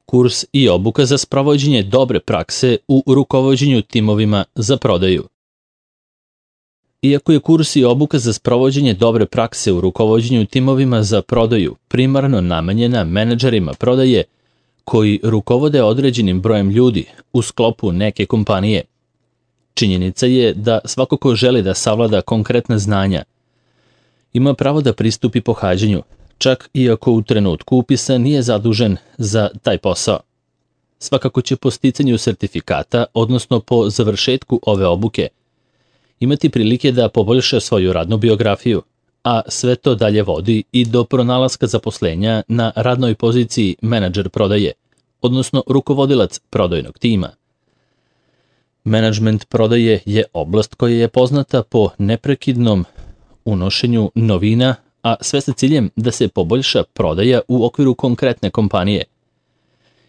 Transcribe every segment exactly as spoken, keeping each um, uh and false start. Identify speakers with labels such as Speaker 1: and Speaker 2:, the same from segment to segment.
Speaker 1: Kurs i obuka za sprovođenje dobre prakse u rukovođenju timovima za prodaju. Iako je kurs i obuka za sprovođenje dobre prakse u rukovođenju timovima za prodaju primarno namenjena menadžerima prodaje koji rukovode određenim brojem ljudi u sklopu neke kompanije, činjenica je da svako ko želi da savlada konkretna znanja ima pravo da pristupi pohađanju, čak i ako u trenutku upisa nije zadužen za taj posao. Svakako će po sticanju sertifikata, odnosno po završetku ove obuke, imati prilike da poboljša svoju radnu biografiju, a sve to dalje vodi i do pronalaska zaposlenja na radnoj poziciji menadžer prodaje, odnosno rukovodilac prodajnog tima. Menadžment prodaje je oblast koja je poznata po neprekidnom unošenju novina, a sve sa ciljem da se poboljša prodaja u okviru konkretne kompanije.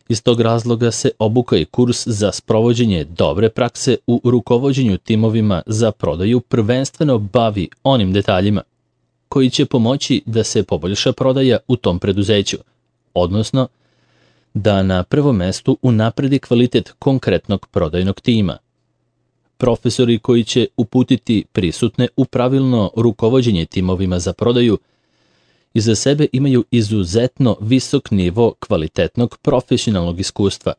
Speaker 1: Iz tog razloga se obuka i kurs za sprovođenje dobre prakse u rukovođenju timovima za prodaju prvenstveno bavi onim detaljima koji će pomoći da se poboljša prodaja u tom preduzeću, odnosno da na prvom mestu unapredi kvalitet konkretnog prodajnog tima. Profesori koji će uputiti prisutne u pravilno rukovođenje timovima za prodaju iza sebe imaju izuzetno visok nivo kvalitetnog profesionalnog iskustva,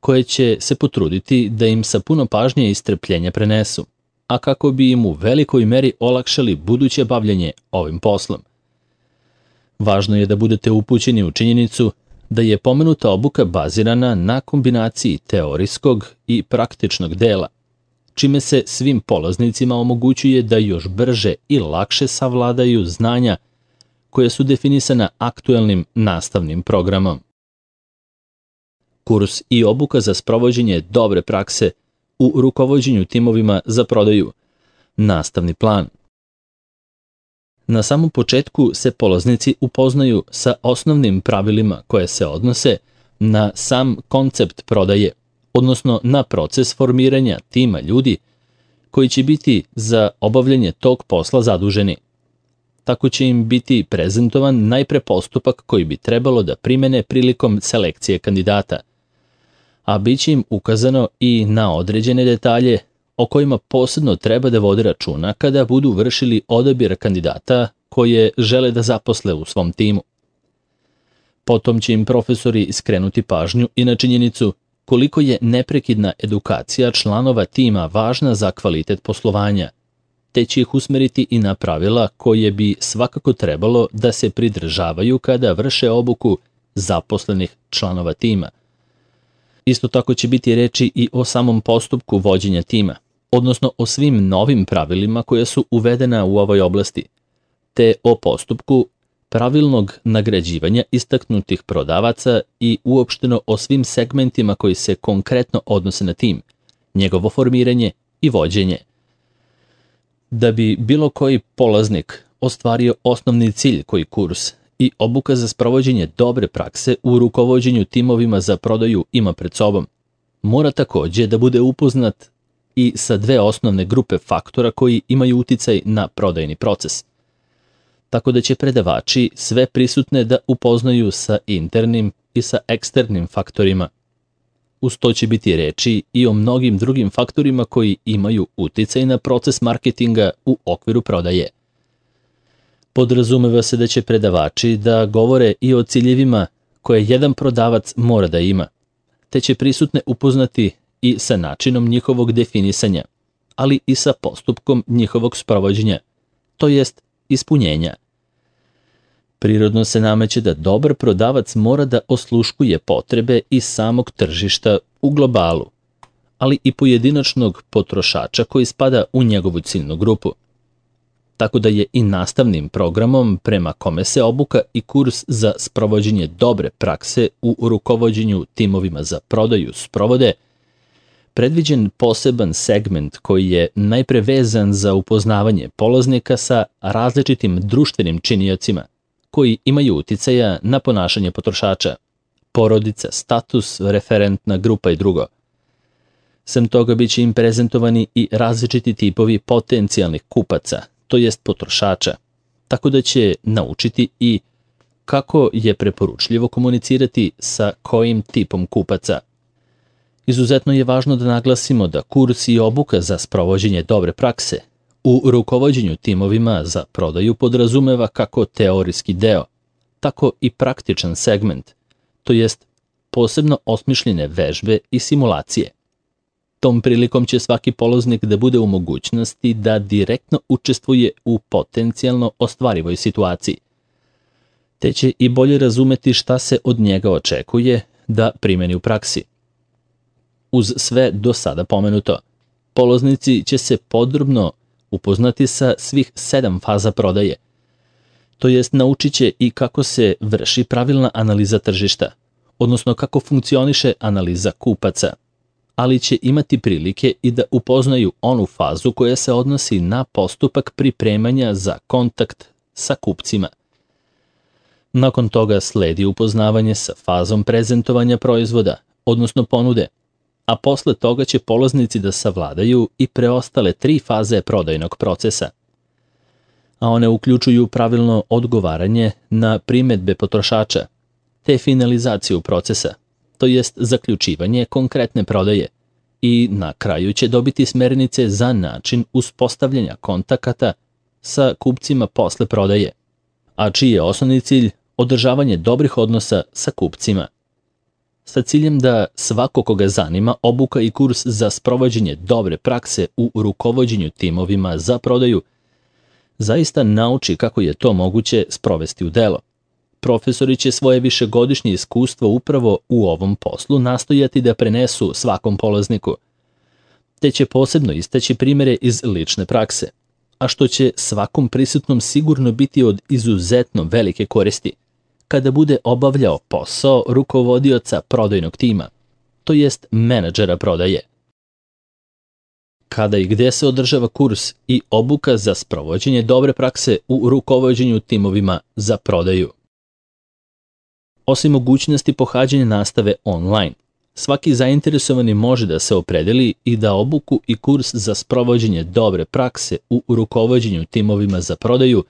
Speaker 1: koje će se potruditi da im sa puno pažnje i strpljenja prenesu, a kako bi im u velikoj meri olakšali buduće bavljanje ovim poslom. Važno je da budete upućeni u činjenicu da je pomenuta obuka bazirana na kombinaciji teorijskog i praktičnog dela, čime se svim polaznicima omogućuje da još brže i lakše savladaju znanja koja su definisana aktuelnim nastavnim programom. Kurs i obuka za sprovođenje dobre prakse u rukovođenju timovima za prodaju. Nastavni plan. Na samom početku se polaznici upoznaju sa osnovnim pravilima koje se odnose na sam koncept prodaje, odnosno na proces formiranja tima ljudi koji će biti za obavljanje tog posla zaduženi. Tako će im biti prezentovan najpre postupak koji bi trebalo da primene prilikom selekcije kandidata, a bit će im ukazano i na određene detalje o kojima posebno treba da vode računa kada budu vršili odabir kandidata koje žele da zaposle u svom timu. Potom će im profesori skrenuti pažnju i na činjenicu koliko je neprekidna edukacija članova tima važna za kvalitet poslovanja, te će ih usmeriti i na pravila koje bi svakako trebalo da se pridržavaju kada vrše obuku zaposlenih članova tima. Isto tako će biti reči i o samom postupku vođenja tima, odnosno o svim novim pravilima koja su uvedena u ovoj oblasti, te o postupku pravilnog nagrađivanja istaknutih prodavaca i uopšteno o svim segmentima koji se konkretno odnose na tim, njegovo formiranje i vođenje. Da bi bilo koji polaznik ostvario osnovni cilj koji kurs i obuka za sprovođenje dobre prakse u rukovođenju timovima za prodaju ima pred sobom, mora takođe da bude upoznat i sa dve osnovne grupe faktora koji imaju uticaj na prodajni proces. Tako da će predavači sve prisutne da upoznaju sa internim i sa eksternim faktorima. Uz to će biti reči i o mnogim drugim faktorima koji imaju uticaj na proces marketinga u okviru prodaje. Podrazumeva se da će predavači da govore i o ciljevima koje jedan prodavac mora da ima, te će prisutne upoznati i sa načinom njihovog definisanja, ali i sa postupkom njihovog sprovođenja, to jest ispunjenja. Prirodno se nameće da dobar prodavac mora da osluškuje potrebe i samog tržišta u globalu, ali i pojedinačnog potrošača koji spada u njegovu ciljnu grupu. Tako da je i nastavnim programom prema kome se obuka i kurs za sprovođenje dobre prakse u rukovođenju timovima za prodaju sprovode, predviđen poseban segment koji je najpre vezan za upoznavanje polaznika sa različitim društvenim činiocima koji imaju uticaja na ponašanje potrošača, porodica, status, referentna grupa i drugo. Sem toga bit će im prezentovani i različiti tipovi potencijalnih kupaca, to jest potrošača, tako da će naučiti i kako je preporučljivo komunicirati sa kojim tipom kupaca. Izuzetno je važno da naglasimo da kurs i obuka za sprovođenje dobre prakse u rukovođenju timovima za prodaju podrazumeva kako teorijski deo, tako i praktičan segment, to jest posebno osmišljene vežbe i simulacije. Tom prilikom će svaki polaznik da bude u mogućnosti da direktno učestvuje u potencijalno ostvarivoj situaciji, te će i bolje razumeti šta se od njega očekuje da primeni u praksi. Uz sve do sada pomenuto, polaznici će se podrobno upoznati sa svih sedam faza prodaje, to jest naučit će i kako se vrši pravilna analiza tržišta, odnosno kako funkcioniše analiza kupaca, ali će imati prilike i da upoznaju onu fazu koja se odnosi na postupak pripremanja za kontakt sa kupcima. Nakon toga sledi upoznavanje sa fazom prezentovanja proizvoda, odnosno ponude, a posle toga će polaznici da savladaju i preostale tri faze prodajnog procesa, a one uključuju pravilno odgovaranje na primedbe potrošača, te finalizaciju procesa, to jest zaključivanje konkretne prodaje, i na kraju će dobiti smernice za način uspostavljanja kontakata sa kupcima posle prodaje, a čiji je osnovni cilj održavanje dobrih odnosa sa kupcima, sa ciljem da svako koga zanima obuka i kurs za sprovođenje dobre prakse u rukovođenju timovima za prodaju zaista nauči kako je to moguće sprovesti u delo. Profesori će svoje višegodišnje iskustvo upravo u ovom poslu nastojati da prenesu svakom polazniku, te će posebno istaći primere iz lične prakse, a što će svakom prisutnom sigurno biti od izuzetno velike koristi kada bude obavljao posao rukovodioca prodajnog tima, to jest menadžera prodaje. Kada i gde se održava kurs i obuka za sprovođenje dobre prakse u rukovođenju timovima za prodaju? Osim mogućnosti pohađanja nastave online, svaki zainteresovani može da se opredeli i da obuku i kurs za sprovođenje dobre prakse u rukovođenju timovima za prodaju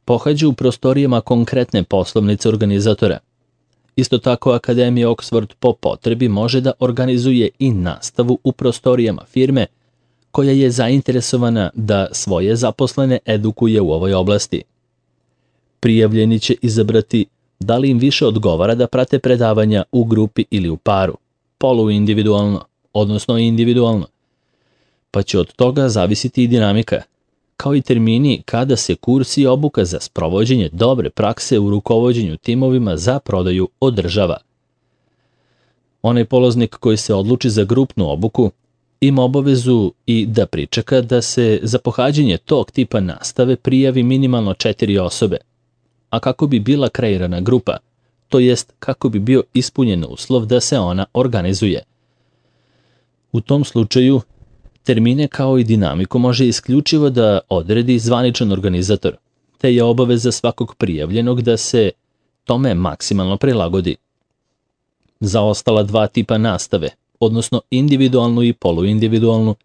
Speaker 1: pohađa u prostorijama konkretne poslovnice organizatora. Isto tako, Akademija Oxford po potrebi može da organizuje i nastavu u prostorijama firme koja je zainteresovana da svoje zaposlene edukuje u ovoj oblasti. Prijavljeni će izabrati da li im više odgovara da prate predavanja u grupi ili u paru, poluindividualno, odnosno individualno, pa će od toga zavisiti i dinamika, kao i termini kada se kurs i obuka za sprovođenje dobre prakse u rukovođenju timovima za prodaju održava. Onaj polaznik koji se odluči za grupnu obuku ima obavezu i da pričeka da se za pohađanje tog tipa nastave prijavi minimalno četiri osobe, a kako bi bila kreirana grupa, to jest kako bi bio ispunjen uslov da se ona organizuje. U tom slučaju, termine kao i dinamiku može isključivo da odredi zvaničan organizator, te je obaveza svakog prijavljenog da se tome maksimalno prilagodi. Za ostala dva tipa nastave, odnosno individualnu i poluindividualnu,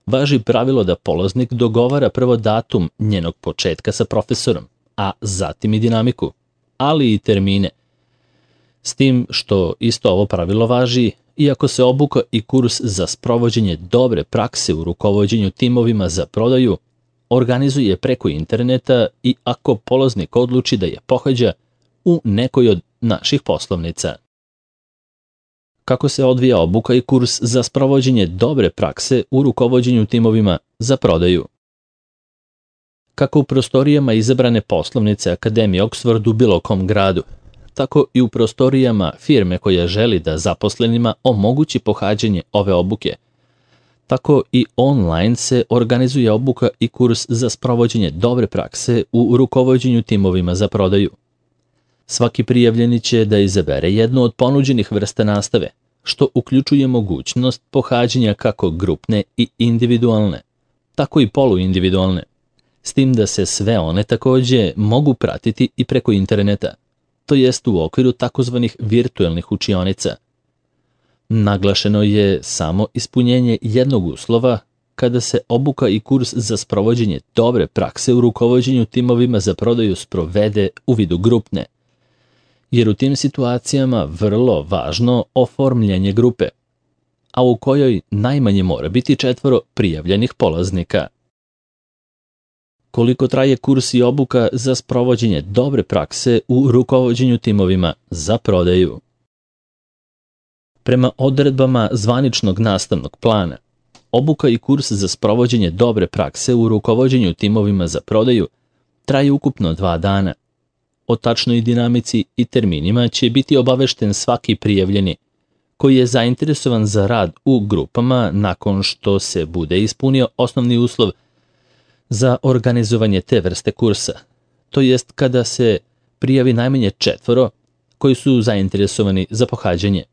Speaker 1: važi pravilo da polaznik dogovara prvo datum njenog početka sa profesorom, a zatim i dinamiku, ali i termine. S tim što isto ovo pravilo važi iako se obuka i kurs za sprovođenje dobre prakse u rukovođenju timovima za prodaju organizuje preko interneta i ako polaznik odluči da je pohađa u nekoj od naših poslovnica. Kako se odvija obuka i kurs za sprovođenje dobre prakse u rukovođenju timovima za prodaju? Kako u prostorijama izabrane poslovnice Akademije Oxford u bilo kom gradu, tako i u prostorijama firme koja želi da zaposlenima omogući pohađanje ove obuke, tako i online se organizuje obuka i kurs za sprovođenje dobre prakse u rukovođenju timovima za prodaju. Svaki prijavljeni će da izabere jednu od ponuđenih vrsta nastave, što uključuje mogućnost pohađanja kako grupne i individualne, tako i poluindividualne, s tim da se sve one takođe mogu pratiti i preko interneta, to jest u okviru takozvanih virtuelnih učionica. Naglašeno je samo ispunjenje jednog uslova kada se obuka i kurs za sprovođenje dobre prakse u rukovođenju timovima za prodaju sprovede u vidu grupne, jer u tim situacijama vrlo važno oformljenje grupe, a u kojoj najmanje mora biti četvoro prijavljenih polaznika. Koliko traje kurs i obuka za sprovođenje dobre prakse u rukovođenju timovima za prodaju? Prema odredbama zvaničnog nastavnog plana, obuka i kurs za sprovođenje dobre prakse u rukovođenju timovima za prodaju traje ukupno dva dana. O tačnoj dinamici i terminima će biti obavešten svaki prijavljeni koji je zainteresovan za rad u grupama nakon što se bude ispunio osnovni uslov za organizovanje te vrste kursa, to jest kada se prijavi najmanje četvoro koji su zainteresovani za pohađanje.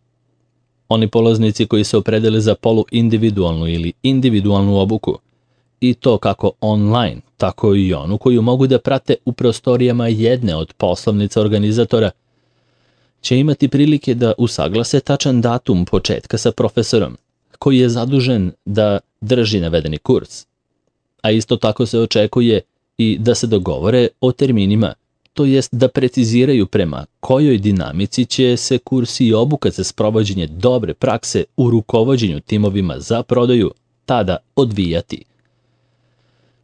Speaker 1: Oni polaznici koji se opredele za poluindividualnu ili individualnu obuku, i to kako online, tako i onu koju mogu da prate u prostorijama jedne od poslovnica organizatora, će imati prilike da usaglase tačan datum početka sa profesorom, koji je zadužen da drži navedeni kurs. A isto tako se očekuje i da se dogovore o terminima, to jest da preciziraju prema kojoj dinamici će se kurs i obuka za sprovođenje dobre prakse u rukovođenju timovima za prodaju tada odvijati.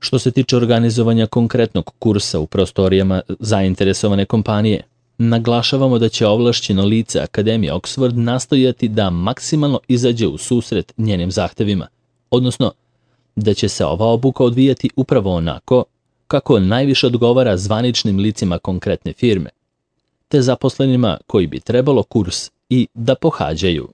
Speaker 1: Što se tiče organizovanja konkretnog kursa u prostorijama zainteresovane kompanije, naglašavamo da će ovlašćeno lice Akademije Oxford nastojati da maksimalno izađe u susret njenim zahtevima, odnosno da će se ova obuka odvijati upravo onako kako najviše odgovara zvaničnim licima konkretne firme, te zaposlenima koji bi trebalo kurs i da pohađaju.